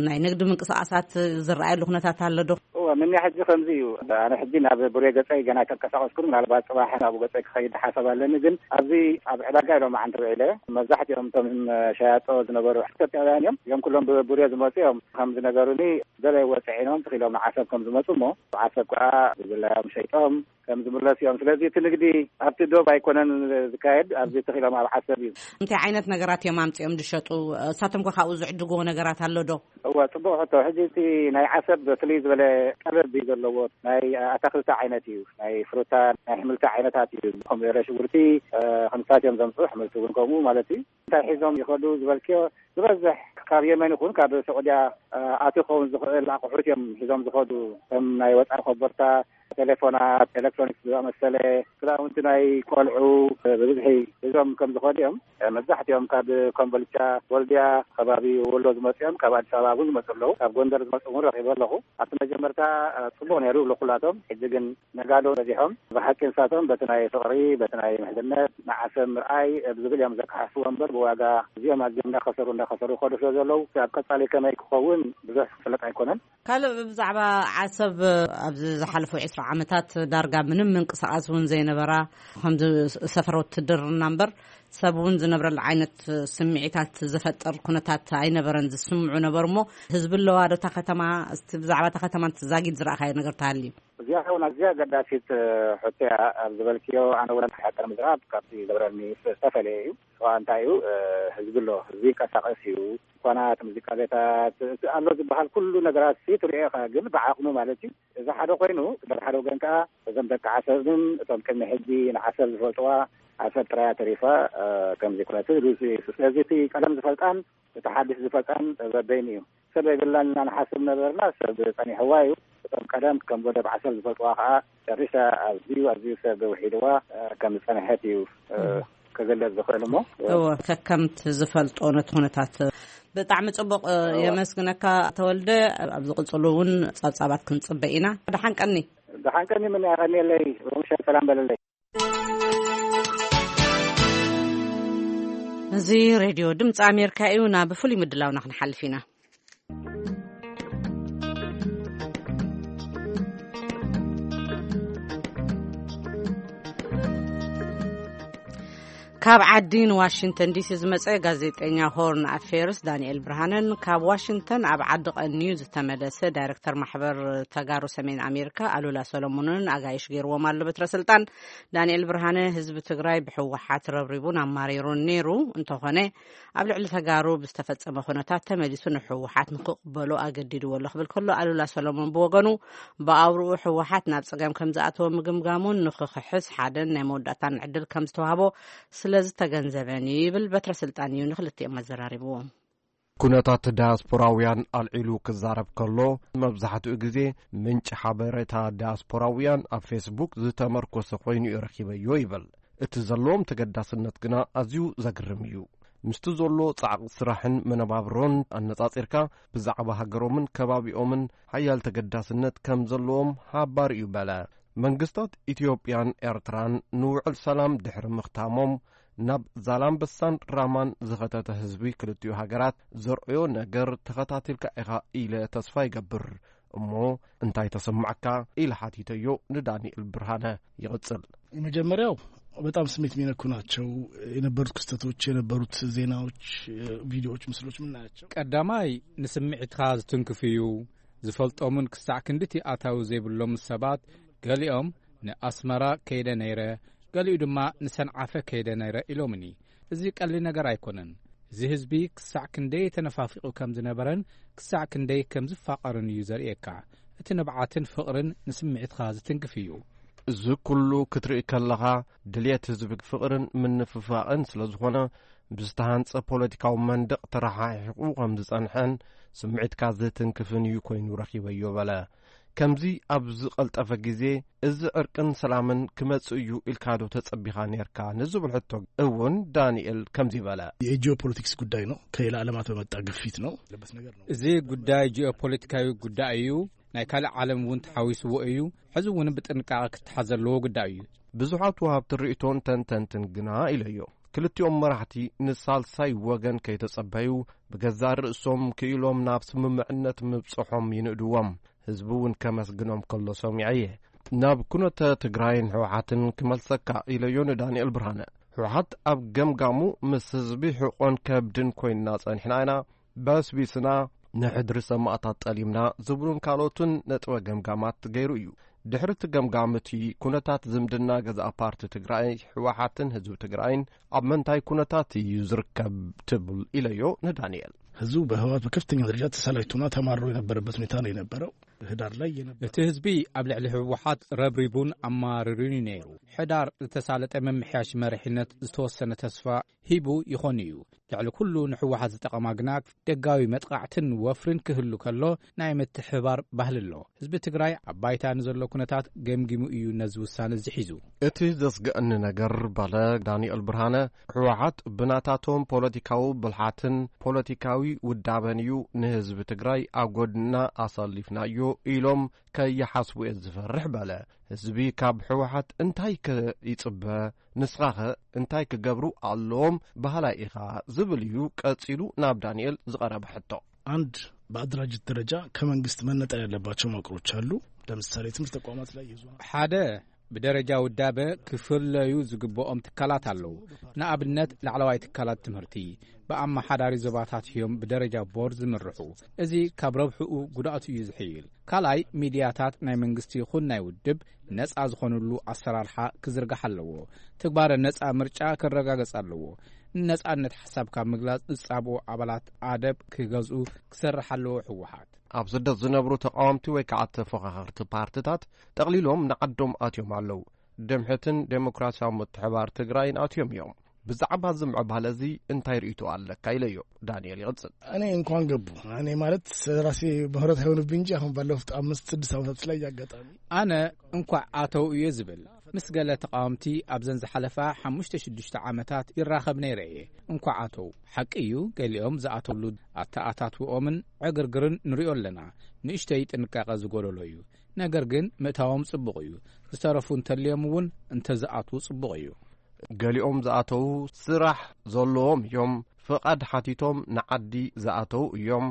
ናይ ንግዲ ምንቅስቓሳት ዝረኣየሉ ኩነታት ኣሎ ዶ? እወ፣ ምንያ ሕጂ ከምዚ እዩ። ኣነ ሕጂ ናብ ቡሬ ገጸይ ገና ኣይተንቀሳቐስኩን። ምናልባት ጽባሕ ናብኡ ገጸይ ክኸይድ ሓሳብ ኣለኒ። ግን ኣብዚ ኣብ ዕዳጋ ኢሎም ኣዓንቲ ውዒለ። መብዛሕትኦም እቶም ሸያጦ ዝነበሩ ኢትዮጵያውያን እዮም። እዮም ኩሎም ብቡሬ ዝመጹ እዮም። ከም ዝነገሩኒ፣ ገለ ወፅዒኖም ትኽኢሎም ንዓሰብ ከም ዝመፁ እሞ ዓሰብ ከዓ ብዝላዮም ሸይጦም ከም ዝምለሱ እዮም። ስለዚ እቲ ንግዲ ኣብቲ ዶብ ኣይኮነን ዝካየድ፣ ኣብዚ ትኽኢሎም ኣብ ዓሰብ እዩ። እንታይ ዓይነት ነገራት እዮም ኣምፅኦም ዝሸጡ? እሳቶም ከ ካብኡ ዝዕድግዎ ነገራት ኣሎ ዶ? እወ፣ ፅቡቅ ሕቶ። ሕጂ እቲ ናይ ዓሰብ ፍልይ ዝበለ ጠለብ እዩ ዘለዎ። ናይ ኣታክልቲ ዓይነት እዩ፣ ናይ ፍሩታ፣ ናይ ኣሕምልቲ ዓይነታት እዩ። ኮሚደረ፣ ሽጉርቲ፣ ከምሳት እዮም ዘምፅኡ፣ ኣሕምልቲ እውን ከምኡ ማለት እዩ። እንታይ ሒዞም ይኸዱ ዝበልክዮ፣ ዝበዝሕ ካብ የመን ይኹን ካብ ሰዑድያ ኣትዩ ክኸውን ዝኽእል ኣቑሑት እዮም ሒዞም ዝኸዱ። ከም ናይ ወፃኢ ኮቦርታ፣ ቴሌፎናት፣ ኤሌክትሮኒክስ ዝኣመሰለ፣ ክዳውንቲ ናይ ቆልዑ ብብዝሒ ሒዞም ከም ዝኸዱ እዮም። መብዛሕትኦም ካብ ኮምቦልቻ፣ ወልድያ ከባቢ፣ ወሎ ዝመፁ እዮም። ካብ ኣዲስ ኣበባ እውን ዝመፁ ኣለዉ። ካብ ጎንደር ዝመፁ እውን ረኺበ ኣለኹ። ኣብቲ መጀመርታ ፅቡቕ ነይሩ ይብሉ ኩላቶም። ሕጂ ግን ነጋዶ በዚሖም። ብሓቂ ንሳቶም በቲ ናይ ፍቕሪ፣ በቲ ናይ ምሕዝነት፣ ንዓሰብ ምርኣይ ብዝብል እዮም ዘከሓስዎ እምበር፣ ብዋጋ እዚኦም ኣዝዮም እንዳኸሰሩ እንዳኸሰሩ ይኸዱ ስለ ዘለዉ፣ ኣብ ቀፃሊ ከመይ ክኸውን ብዙሕ ዝፍለጥ ኣይኮነን። ካልእ ብዛዕባ ዓሰብ፣ ኣብዚ ዝሓለፉ ዕስራ ዓመታት ዳርጋ ምንም ምንቅስቓስ እውን ዘይነበራ፣ ከምዚ ሰፈር ውትድርና እምበር ሰብ እውን ዝነብረሉ ዓይነት ስምዒታት ዝፈጥር ኩነታት ኣይነበረን ዝስምዑ ነበሩ። እሞ ህዝቢ ኣለዋ ዶ እታ ከተማ? እስቲ ብዛዕባ እታ ከተማ ዛጊድ ዝረኣኻዮ ነገር ተሃልዩ? እዚኣ እውን ኣዝያ ኣገዳሲት ሕቶ እያ። ኣብ ዝበልክዮ፣ ኣነ እውን ሓቂ ንምዝራብ ካብቲ ዝነበረኒ ዝተፈለየ እዩ። እኳ እንታይ እዩ፣ ህዝቢ ኣሎ፣ ህዝቢ ይንቀሳቐስ እዩ። ድኳናት፣ ሙዚቃ ቤታት፣ እቲ ኣሎ ዝበሃል ኩሉ ነገራት ሲ ትሪኦ ኢኻ፣ ግን ብዓቕሙ ማለት እዩ። እዚ ሓደ ኮይኑ፣ በቲ ሓደ ወገን ከዓ እዞም ደቂ ዓሰብን እቶም ቅድሚ ሕጂ ንዓሰብ ዝፈልጥዋ ዓሰብ ጥራያ ተሪፋ ከምዚ ኩነቱ ርእሲ እዩ። ስለዚ እቲ ቀደም ዝፈልጣን እቲ ሓድሽ ዝፈልጣን በበይኑ እዩ። ሰብ የብላን ኢና ንሓስብ ነበርና፣ ሰብ ጸኒሕዋ እዩ። እቶም ቀደም ከም ወደብ ዓሰብ ዝፈልጥዋ ከዓ ጨሪሳ ኣዝዩ ኣዝዩ ሰብ ውሒድዋ ከም ዝጸንሐት እዩ ክግለጽ ዝኽእል። እሞ እወ፣ ከከምቲ ዝፈልጦ ነቲ ኩነታት። ብጣዕሚ ጽቡቕ። እወ። የመስግነካ ተወልደ። ኣብ ዝቕጽሉ እውን ጸብጻባት ክንጽበ ኢና። ደሓን ቀኒ። ደሓን ቀኒ። ምን ያቐኒለይ። ሮምሸ ሰላም በለለይ። እዚ ሬድዮ ድምፂ ኣሜሪካ እዩ። ናብ ፍሉይ ምድላውና ክንሓልፍ ኢና። ካብ ዓዲ ንዋሽንግተን ዲሲ ዝመጸ ጋዜጠኛ ሆርን ኣፌርስ ዳንኤል ብርሃነን፣ ካብ ዋሽንግተን ኣብ ዓዲ ቀንዩ ዝተመለሰ ዳይሬክተር ማሕበር ተጋሩ ሰሜን ኣሜሪካ ኣሉላ ሰሎሞንን ኣጋይሽ ገይርዎም ኣሎ በትረ ስልጣን። ዳንኤል ብርሃነ፣ ህዝቢ ትግራይ ብህወሓት ረብሪቡን ኣማሪሩን ነይሩ፣ እንተኾነ ኣብ ልዕሊ ተጋሩ ብዝተፈጸመ ኩነታት ተመሊሱ ንህወሓት ንክቕበሎ ኣገዲድዎ ኣሎ ክብል ከሎ፣ ኣሉላ ሰሎሞን ብወገኑ፣ ብኣውርኡ ህወሓት ናብ ጸገም ከም ዝኣተወ ምግምጋሙን ንክኽሕስ ሓደን ናይ መወዳእታን ዕድል ከም ዝተዋህቦ ስለ ዝተገንዘበን እዩ ይብል። በትረ ስልጣን እዩ ንክልቲኦም ኣዘራሪብዎም። ኩነታት ዳያስፖራውያን ኣልዒሉ ክዛረብ ከሎ፣ መብዛሕትኡ ግዜ ምንጪ ሓበሬታ ዳያስፖራውያን ኣብ ፌስቡክ ዝተመርኮሰ ኮይኑ እዩ ረኺበዮ ይብል። እቲ ዘለዎም ተገዳስነት ግና ኣዝዩ ዘግርም እዩ። ምስቲ ዘሎ ጻዕቂ ስራሕን መነባብሮን ኣነጻጺርካ፣ ብዛዕባ ሃገሮምን ከባቢኦምን ሓያል ተገዳስነት ከም ዘለዎም ሓባር እዩ በለ። መንግስታት ኢትዮጵያን ኤርትራን ንውዕል ሰላም ድሕሪ ምኽታሞም፣ ናብ ዛላምበሳን ራማን ዝኸተተ ህዝቢ ክልቲኡ ሃገራት ዘርእዮ ነገር ተኸታቲልካ ኢኻ ኢለ ተስፋ ይገብር። እሞ እንታይ ተሰማዕካ? ኢለ ሓቲተዮ ንዳንኤል ብርሃነ። ይቕጽል። የመጀመሪያው በጣም ስሜት የሚነኩ ናቸው የነበሩት ክስተቶች፣ የነበሩት ዜናዎች፣ ቪዲዮዎች፣ ምስሎች የምናያቸው። ቀዳማይ ንስምዒትካ ዝትንክፍ እዩ። ዝፈልጦምን ክሳዕ ክንድቲ ኣታዊ ዘይብሎም ሰባት፣ ገሊኦም ንኣስመራ ከይደ ነይረ፣ ገሊኡ ድማ ንሰንዓፈ ከይደ ነይረ ኢሎምኒ። እዚ ቀሊል ነገር ኣይኮነን። እዚ ህዝቢ ክሳዕ ክንደይ ተነፋፊቑ ከም ዝነበረን ክሳዕ ክንደይ ከም ዝፋቐርን እዩ ዘርእየካ። እቲ ንብዓትን ፍቕርን ንስምዒትካ ዝትንክፍ እዩ። እዚ ኩሉ ክትርኢ ከለኻ፣ ድልየት ህዝቢ ፍቕርን ምንፍፋቕን ስለ ዝኾነ፣ ብዝተሃንጸ ፖለቲካዊ መንደቕ ተረሓሒቑ ከም ዝጸንሐን ስምዒትካ ዝትንክፍን እዩ ኮይኑ ረኺበዮ በለ። ከምዚ ኣብ ዝቐልጠፈ ግዜ፣ እዚ ዕርቅን ሰላምን ክመጽእ እዩ ኢልካ ዶ ተጸቢኻ ነርካ ንዝብል ሕቶ እውን ዳንኤል ከምዚ በለ። የጂኦፖለቲክስ ጉዳይ ነው። ከሌላ ዓለማት በመጣ ግፊት ነው ያለበት ነገር ነው። እዚ ጉዳይ ጂኦፖለቲካዊ ጉዳይ እዩ። ናይ ካልእ ዓለም እውን ተሓዊስዎ እዩ። ሕዚ እውን ብጥንቃቐ ክተሓዝ ዘለዎ ጉዳይ እዩ። ብዙሓት ወሃብቲ ርእይቶን ተንተንትን ግና ኢለዮ፣ ክልቲኦም መራሕቲ ንሳልሳይ ወገን ከይተጸበዩ፣ ብገዛእ ርእሶም ክኢሎም ናብ ስምምዕነት ምብጽሖም ይንእድዎም። ህዝቢ እውን ከመስግኖም ከሎ ሰሚዐየ። ናብ ኩነተ ትግራይን ህወሓትን ክመልሰካ ኢለዮ ንዳንኤል ብርሃነ። ህወሓት ኣብ ገምጋሙ፣ ምስ ህዝቢ ሕቆን ከብድን ኮይንና ጸኒሕና ኢና፣ በስቢስና፣ ንሕድሪ ሰማእታት ጠሊምና ዝብሉን ካልኦትን ነጥበ ገምጋማት ገይሩ እዩ። ድሕሪ እቲ ገምጋም እቲ ኩነታት ዝምድና ገዛእ ፓርቲ ትግራይ፣ ህወሓትን ህዝቢ ትግራይን ኣብ መንታይ ኩነታት እዩ ዝርከብ ትብል ኢለዮ ንዳንኤል። ህዝቡ በህወሓት በከፍተኛ ደረጃ ተሰላችቶና ተማርሮ የነበረበት ሁኔታ ነው የነበረው። ህዳር ላይ የነበረ እቲ ህዝቢ ኣብ ልዕሊ ህወሓት ረብሪቡን ኣማርሩን እዩ ነይሩ። ሕዳር ዝተሳለጠ ምምሕያሽ መሪሕነት ዝተወሰነ ተስፋ ሂቡ ይኾን እዩ። ልዕሊ ኩሉ ንህወሓት ዝጠቐማ ግና ደጋዊ መጥቓዕትን ወፍርን ክህሉ ከሎ ናይ ምትሕብባር ባህሊ ኣሎ። ህዝቢ ትግራይ ኣብ ባይታ ንዘሎ ኩነታት ገምጊሙ እዩ ነዚ ውሳነ እዚ ሒዙ። እቲ ዘስግእኒ ነገር በለ ዳንኤል ብርሃነ፣ ህወሓት ብናታቶም ፖለቲካዊ ብልሓትን ፖለቲካዊ ውዳበን እዩ ንህዝቢ ትግራይ ኣብ ጎድና ኣሳሊፍናዮ ኢሎም ከይሓስቡ እየ ዝፈርሕ በለ። ህዝቢ ካብ ህወሓት እንታይ ከ ይጽበ? ንስኻኸ እንታይ ክገብሩ ኣለዎም በሃላይ ኢኻ? ዝብል እዩ ቀጺሉ ናብ ዳንኤል ዝቐረበ ሕቶ። አንድ በአደራጀት ደረጃ ከመንግስት መነጠል ያለባቸው መዋቅሮች አሉ። ለምሳሌ ትምህርት ተቋማት ላይ የዞና ሓደ ብደረጃ ውዳበ ክፍለዩ ዝግብኦም ትካላት ኣለዉ። ንኣብነት ላዕለዋይ ትካላት ትምህርቲ ብኣመሓዳሪ ዞባታት እዮም ብደረጃ ቦርድ ዝምርሑ። እዚ ካብ ረብሕኡ ጉድኣቱ እዩ ዝሕይል። ካልኣይ ሚድያታት ናይ መንግስቲ ይኹን ናይ ውድብ ነጻ ዝኾኑሉ ኣሰራርሓ ክዝርጋሕ ኣለዎ። ትግባረ ነጻ ምርጫ ክረጋገጽ ኣለዎ። ንነጻነት ሓሳብ ካብ ምግላጽ ዝጻብኡ ኣባላት ኣደብ ክገዝኡ ክሰርሕ ኣለዎ ህወሓት። ኣብ ስደት ዝነብሩ ተቃወምቲ ወይ ከዓ ተፎኻኸርቲ ፓርትታት ጠቕሊሎም ንዓዶም ኣትዮም ኣለዉ። ድምሕትን ዴሞክራሲያዊ ምትሕባር ትግራይን ኣትዮም እዮም። ብዛዕባ እዚ ምዕባለ እዚ እንታይ ርእይቶ ኣለካ ኢለዮ። ዳንኤል ይቕጽል። እኔ እንኳን ገቡ እኔ ማለት ራሴ ምህረት አይሆንብኝ እንጂ አሁን ባለፉት አምስት ስድስት ዓመታት ላይ ያጋጣሚ ኣነ እንኳዕ ኣተው እየ ዝብል። ምስ ገለ ተቃወምቲ ኣብዘን ዝሓለፋ ሓሙሽተ ሽዱሽተ ዓመታት ይራኸብ ነይረ እየ። እንኳዕ ኣተው። ሓቂ እዩ፣ ገሊኦም ዝኣተውሉ ኣተኣታትውኦምን ዕግርግርን ንሪኦ ኣለና። ንእሽተይ ጥንቃቐ ዝጎደሎ እዩ። ነገር ግን ምእታዎም ጽቡቕ እዩ። ዝተረፉ እንተልዮም እውን እንተዝኣትዉ ጽቡቕ እዩ። ገሊኦም ዝኣተዉ ስራሕ ዘለዎም እዮም። ፍቓድ ሓቲቶም ንዓዲ ዝኣተዉ እዮም።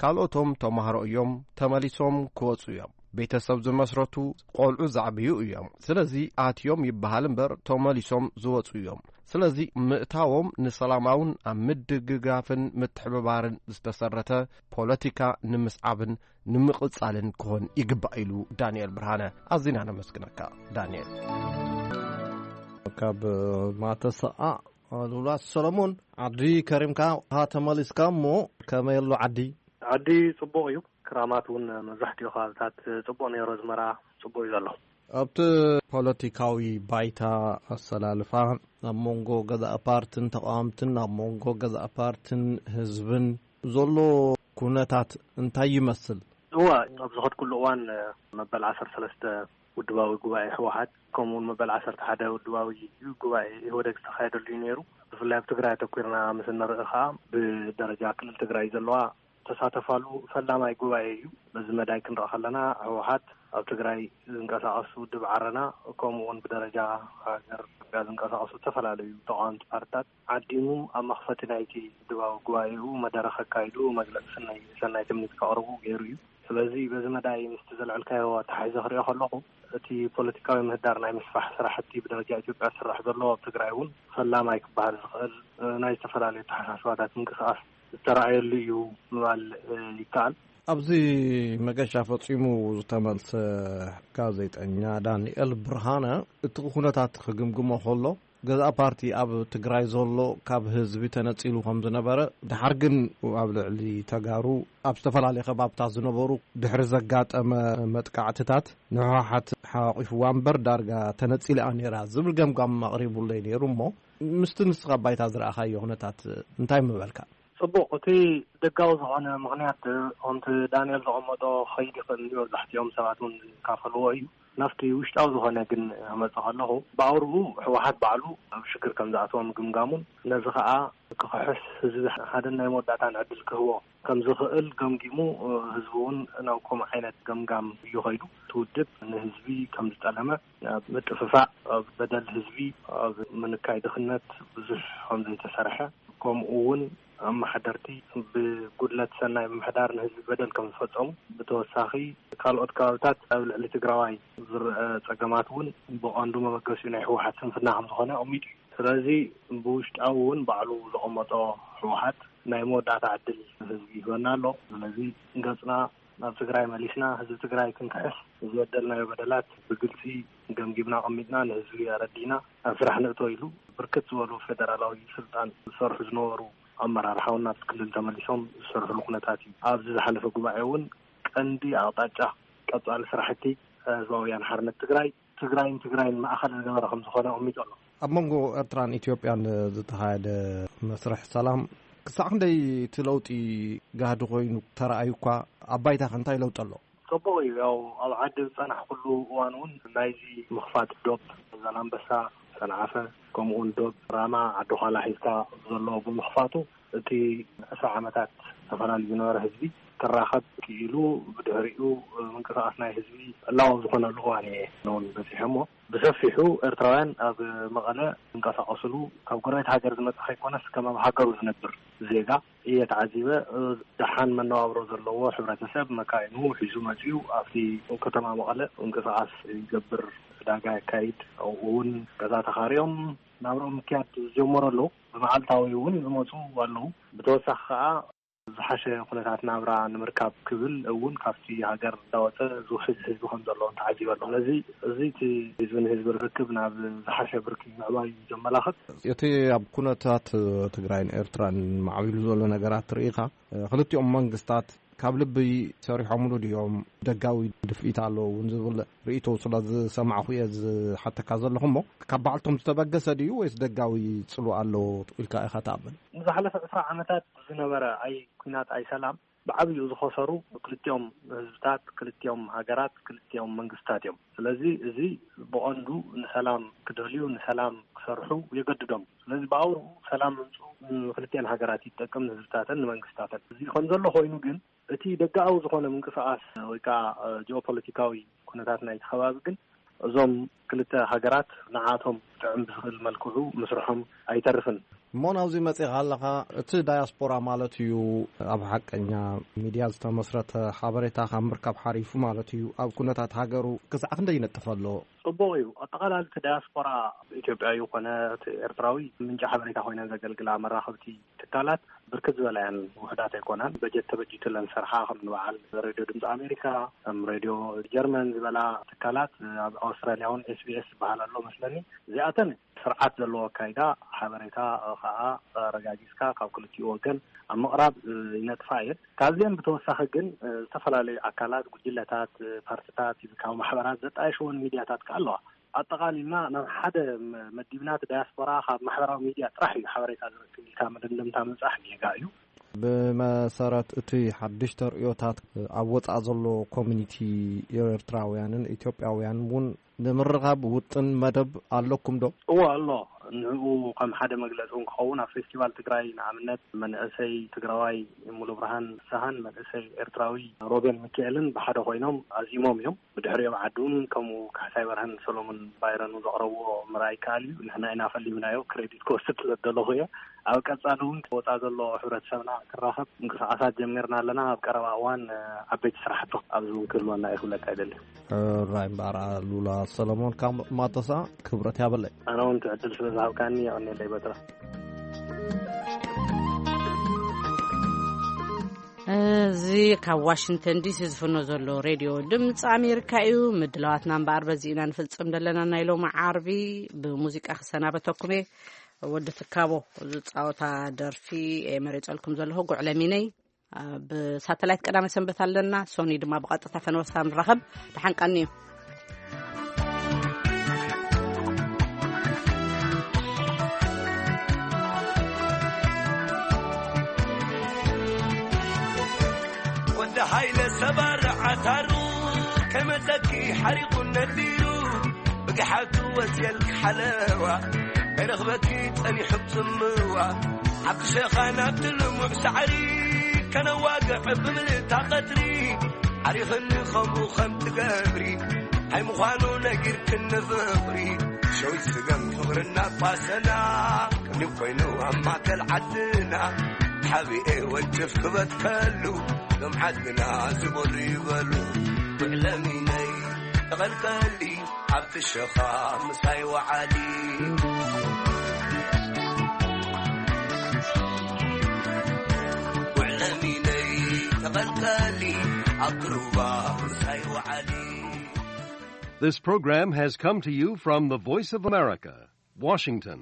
ካልኦቶም ተማሃሮ እዮም። ተመሊሶም ክወጹ እዮም። ቤተሰብ ዝመስረቱ ቆልዑ ዘዕብዩ እዮም። ስለዚ ኣትዮም ይበሃል እምበር ተመሊሶም ዝወጹ እዮም። ስለዚ ምእታዎም ንሰላማውን ኣብ ምድግጋፍን ምትሕብባርን ዝተሰረተ ፖለቲካ ንምስዓብን ንምቕጻልን ክኾን ይግባእ ኢሉ ዳንኤል ብርሃነ። ኣዚና ነመስግነካ ዳንኤል። ካብ ማተሰኣ ሉላ ሰሎሞን፣ ዓዲ ከሪምካ ሃ ተመሊስካ እሞ ከመይ ኣሎ ዓዲ? ዓዲ ጽቡቕ እዩ። ክራማት እውን መብዛሕትኡ ከባብታት ጽቡቕ ነይሩ። ኣዝመራ ጽቡቕ እዩ ዘሎ። ኣብቲ ፖለቲካዊ ባይታ ኣሰላልፋ ኣብ መንጎ ገዛእ ፓርትን ተቃወምትን፣ ኣብ መንጎ ገዛእ ፓርትን ህዝብን ዘሎ ኩነታት እንታይ ይመስል? እዋ፣ ኣብ ዝኸድኩሉ እዋን መበል ዓሰርተ ሰለስተ ውድባዊ ጉባኤ ህወሓት፣ ከምኡውን መበል ዓሰርተ ሓደ ውድባዊ ጉባኤ ኢህወደግ ዝተኻየደሉ እዩ ነይሩ። ብፍላይ ኣብ ትግራይ ኣተኲርና ምስ እንርኢ ኸዓ፣ ብደረጃ ክልል ትግራይ ዘለዋ ተሳተፋሉ ፈላማይ ጉባኤ እዩ። በዚ መዳይ ክንርኢ ከለና፣ ህወሓት ኣብ ትግራይ ዝንቀሳቐስ ውድብ ዓረና፣ ከምኡ እውን ብደረጃ ሃገር ዝንቀሳቐሱ ዝተፈላለዩ ተቓወምቲ ፓርትታት ዓዲሙ፣ ኣብ መኽፈቲ ናይቲ ውድባዊ ጉባኤኡ መደረኽ ኣካይዱ፣ መግለጺ ሰናይ፣ ሰናይ ትምኒት ከቕርቡ ገይሩ እዩ። ስለዚ በዚ መዳይ ምስቲ ዘልዐልካዮ ኣተሓሒዘ ክሪኦ ከለኹ፣ እቲ ፖለቲካዊ ምህዳር ናይ ምስፋሕ ስራሕቲ ብደረጃ ኢትዮጵያ ዝስራሕ ዘሎ፣ ኣብ ትግራይ እውን ፈላማይ ክበሃል ዝኽእል፣ እ፣ ናይ ዝተፈላለዩ ኣተሓሳስባታት ምንቅስቓስ ዝተረኣየሉ እዩ ምባል፣ እ፣ ይከኣል። ኣብዚ መገሻ ፈጺሙ ዝተመልሰ ጋዜጠኛ ዳንኤል ብርሃነ፣ እቲ ኩነታት ክግምግሞ ከሎ፣ ገዛእ ፓርቲ ኣብ ትግራይ ዘሎ ካብ ህዝቢ ተነጺሉ ከም ዝነበረ፣ ደሓር ግን ኣብ ልዕሊ ተጋሩ ኣብ ዝተፈላለየ ከባብታት ዝነበሩ ድሕሪ ዘጋጠመ መጥቃዕትታት ንህወሓት ሓቂፍዋ እምበር ዳርጋ ተነጺላ ነይራ ዝብል ገምጋም ኣቕሪቡለይ ነይሩ። እሞ ምስቲ ንስኻ ባይታ ዝረኣኻዮ ኩነታት እንታይ ምበልካ? ጽቡቕ፣ እቲ ደጋዊ ዝኾነ ምኽንያት፣ ከምቲ ዳንኤል ዘቐመጦ፣ ክኸይድ ይኽእል እዩ። መብዛሕትኦም ሰባት እውን ዝካፈልዎ እዩ። ናብቲ ውሽጣዊ ዝኾነ ግን ክመጽእ ከለኹ፣ ብኣውርኡ ህወሓት ባዕሉ ኣብ ሽግር ከም ዝኣተወ ምግምጋሙን፣ ነዚ ኸኣ ክኽሕስ፣ ህዝቢ ሓደን ናይ መወዳእታን ዕድል ክህቦ ከም ዝኽእል ገምጊሙ፣ ህዝቢ እውን ናብ ከምኡ ዓይነት ገምጋም እዩ ኸይዱ። እቲ ውድብ ንህዝቢ ከም ዝጠለመ፣ ኣብ ምጥፍፋእ፣ ኣብ በደል ህዝቢ፣ ኣብ ምንካይ ድኽነት ብዙሕ ከም ዘይተሰርሐ፣ ከምኡ እውን ኣመሓደርቲ ብጉድለት ሰናይ ምምሕዳር ንህዝቢ በደል ከም ዝፈጸሙ፣ ብተወሳኺ ካልኦት ከባብታት ኣብ ልዕሊ ትግራዋይ ዝረአ ጸገማት እውን ብቐንዱ መበገሲኡ ናይ ህወሓት ስንፍና ከም ዝኾነ ኣቐሚጡ እዩ። ስለዚ ብውሽጣዊ እውን ባዕሉ ዘቐመጦ ህወሓት ናይ መወዳእታ ዕድል ህዝቢ ይህበና ኣሎ። ስለዚ ገጽና ናብ ትግራይ መሊስና ህዝቢ ትግራይ ክንክሕስ፣ ዝበደልናዮ በደላት ብግልጺ ገምጊምና ኣቐሚጥና ንህዝቢ ኣረዲና ኣብ ስራሕ ንእቶ ኢሉ ብርክት ዝበሉ ፌደራላዊ ስልጣን ዝሰርሑ ዝነበሩ ኣመራርሓ እውን ናብቲ ክልል ተመሊሶም ዝሰርሕሉ ኩነታት እዩ። ኣብዚ ዝሓለፈ ጉባኤ እውን ቀንዲ ኣቕጣጫ ቀጻሊ ስራሕቲ ህዝባዊ ወያነ ሓርነት ትግራይ ትግራይን ትግራይን ማእኸል ዝገበረ ከም ዝኾነ ኣቐሚጡ ኣሎ። ኣብ መንጎ ኤርትራን ኢትዮጵያን ዝተኻየደ መስርሕ ሰላም ክሳዕ ክንደይ እቲ ለውጢ ጋህዲ ኮይኑ ተረኣዩ እኳ ኣብ ባይታ ከ እንታይ ለውጢ ኣሎ? ጽቡቕ እዩ። ያው ኣብ ዓዲ ዝጸናሕኩሉ እዋን እውን ናይዚ ምኽፋት ዶብ ዛላምበሳ፣ ሰንዓፈ፣ ከምኡውን ዶብ ራማ ዓዲ ዃላ ሒዝካ ዘሎ ብምኽፋቱ እቲ ዕስራ ዓመታት ተፈላልዩ ዝነበረ ህዝቢ ክራኸብ ክኢሉ፣ ብድሕሪኡ ምንቅስቓስ ናይ ህዝቢ ዕላዊ ዝኾነሉ እዋን እየ እውን በፂሐ። እሞ ብሰፊሑ ኤርትራውያን ኣብ መቐለ ዝንቀሳቐስሉ ካብ ጎረቤት ሃገር ዝመጽእ ከይኮነስ ከም ኣብ ሃገሩ ዝነብር ዜጋ እየ ተዓዚበ። ደሓን መነባብሮ ዘለዎ ሕብረተሰብ መካይኑ ሒዙ መጺኡ ኣብቲ ከተማ መቐለ ምንቅስቓስ ይገብር፣ ዕዳጋ የካይድ። ኣብኡ እውን ገዛ ተኻርዮም ናብርኦም ምክያድ ዝጀመሩ ኣለዉ። ብመዓልታዊ እውን ዝመጹ ኣለዉ። ብተወሳኺ ከኣ ዝሓሸ ኩነታት ናብራ ንምርካብ ክብል እውን ካብቲ ሃገር እንዳወጸ ዝውሕዝ ህዝቢ ከም ዘለዎም ተዓዚበ ኣለኹ። ስለዚ እዚ እቲ ህዝቢ ንህዝቢ ርክክብ ናብ ዝሓሸ ብርኪ ምዕባይ እዩ ዘመላኽት። እቲ ኣብ ኩነታት ትግራይን ኤርትራን ማዕቢሉ ዘሎ ነገራት ርኢኻ፣ ክልቲኦም መንግስታት ካብ ልቢ ሰሪሖምሉ ድዮም? ደጋዊ ድፍኢት ኣለዎ እውን ዝብል ርእይቶ ስለ ዝሰማዕኹ እየ ዝሓተካ ዘለኹ። እሞ ካብ ባዕልቶም ዝተበገሰ ድዩ ወይስ ደጋዊ ጽልዋ ኣለዎ ኢልካ ኢኻ ትኣምን? ንዝሓለፈ ዕስራ ዓመታት ዝነበረ ኣይ ኲናት ኣይ ሰላም ብዓብዩ ዝኸሰሩ ክልቲኦም ህዝብታት፣ ክልቲኦም ሃገራት፣ ክልቲኦም መንግስታት እዮም። ስለዚ እዚ ብቐንዱ ንሰላም ክደልዩ፣ ንሰላም ክሰርሑ የገድዶም። ስለዚ ብኣውርኡ ሰላም ምምፅኡ ንክልቲኣን ሃገራት ይጠቅም፣ ንህዝብታተን ንመንግስታተን። እዚ ከም ዘሎ ኮይኑ ግን እቲ ደጋኣዊ ዝኾነ ምንቅስቓስ ወይ ከዓ እ፣ ጂኦፖለቲካዊ ኩነታት ናይቲ ከባቢ ግን እዞም ክልተ ሃገራት ንዓቶም ጥዕም ብዝኽእል መልክዑ ምስርሖም ኣይተርፍን። እሞ ናብዚ መጺኻ ኣለኻ፣ እቲ ዳያስፖራ ማለት እዩ ኣብ ሓቀኛ ሚድያ ዝተመስረተ ሓበሬታ ካብ ምርካብ ሓሪፉ ማለት እዩ ኣብ ኩነታት ሃገሩ ክሳዕ ክንደይ ይነጥፍ ኣሎ? ጽቡቕ እዩ። ኣጠቓላሊ እቲ ዳያስፖራ ኢትዮጵያዊ ኮነ እቲ ኤርትራዊ ምንጪ ሓበሬታ ኮይነን ዘገልግላ መራኸብቲ ትካላት ብርክት ዝበላ እየን፣ ውሑዳት ኣይኮናን። በጀት ተበጂቱለን ዝሰርሓ ከም ንበዓል ሬድዮ ድምፂ ኣሜሪካ፣ ከም ሬድዮ ጀርመን ዝበላ ትካላት፣ ኣብ ኣውስትራልያ እውን ኤስ ቢ ኤስ ዝበሃል ኣሎ መስለኒ። እዚኣተን ስርዓት ዘለዎ ኣካይዳ ሓበሬታ ከዓ ኣረጋጊፅካ ካብ ክልቲኡ ወገን ኣብ ምቕራብ ይነጥፋ እየን። ካብዚአን ብተወሳኺ ግን ዝተፈላለዩ ኣካላት፣ ጉጅለታት፣ ፓርትታት፣ ካብ ማሕበራት ዘጣየሽወን ሚድያታት ከዓ ኣለዋ። ኣጠቓሊልና ናብ ሓደ መ-፣ መዲብና እቲ ዳያስፖራ ካብ ማሕበራዊ ሚድያ ጥራሕ እዩ ሓበሬታ ዝረክብ ኢልካ መደምደምታ ምብጻሕ ጌጋ እዩ። ብመሰረት እቲ ሓድሽ ተርእዮታት ኣብ ወጻኢ ዘሎ ኮሚኒቲ ኤርትራውያንን ኢትዮጵያውያንን እውን ንምርኻብ ውጥን መደብ ኣለኩም ዶ? እዎ ኣሎ። ንዕኡ ከም ሓደ መግለጺ እውን ክኸውን ኣብ ፌስቲቫል ትግራይ ንኣብነት መንእሰይ ትግራዋይ ሙሉ ብርሃን ፍስሃን መንእሰይ ኤርትራዊ ሮቤል ሚካኤልን ብሓደ ኮይኖም ኣዚሞም እዮም። ብድሕሪኦም ዓዲ እውን ከምኡ ካሕሳይ በርሀን ሰሎሞን ባይረን ዘቕረብዎ ምርኣይ ይከኣል እዩ። ንሕና ኢና ፈሊምናዮ፣ ክሬዲት ክወስድ ስለ ዝደለኹ እየ። ኣብ ቀጻሊ እውን ክወጻ ዘሎ ሕብረተሰብና ክራኸብ ምንቅስቓሳት ጀሚርና ኣለና። ኣብ ቀረባ እዋን እ፣ ዓበይቲ ስራሕቲ ኣብዚ እውን ክህልወና እዩ ክብለካ ይደሊ። ሕራይ እምበኣር ኣሉላ ሰለሞን ካብ ማተሳ ክብረት ያበለይ። ኣነ እውን እቲ ዕድል ስለ ዝሃብካኒ የቐንየለይ በትረ። እዚ ካብ ዋሽንግተን ዲሲ ዝፍኖ ዘሎ ሬድዮ ድምፂ ኣሜሪካ እዩ። ምድላዋትና እምበኣር በዚ ኢና ንፍፅም ዘለና። ናይ ሎሚ ዓርቢ ብሙዚቃ ክሰናበተኩም እየ። ወዲ ትካቦ ዝፃወታ ደርፊ እየ መሪፀልኩም ዘለኹ፣ ጉዕለሚነይ። ብሳተላይት ቀዳመ ሰንበት ኣለና። ሶኒ ድማ ብቐጥታ ፈነወሳ ንራኸብ። ደሓን ቀንዩ። ወዲ ሃይለ ሰባር ዓታሩ ከመተኪ ሓሪቑ ነዲሩ ብግሓቱ ወፅየልክ ሓለዋ ኣይረኽበኪ ጸኒሑ ጽምዋ ዓዲ ሸኻ ናብቲ ልሙዕ ሳዕሪ ከነዋግዕ ብምልእታ ቀትሪ ዓሪኽኒ ከምኡ ከም ትገብሪ ኣይምዃኑ ነጊርክኒ ፍቕሪ ሸዊት ስገም ፍቕርና ቋሰና ቅድሚ ኮይኑ ኣብ ማእከል ዓድና ሓቢኤ ወንጭፍ ክበትከሉ ሎም ዓድና ዝበሉ ይበሉ ብዕለሚነይ ተቐልቀሊ ኣብቲ ሸኻ ምሳይ ወዓሊ። ውዕለሚነ ቀልቀሊ ኣብ ሩባ ሳይወዓሊ This program has come to you from the Voice of America, Washington.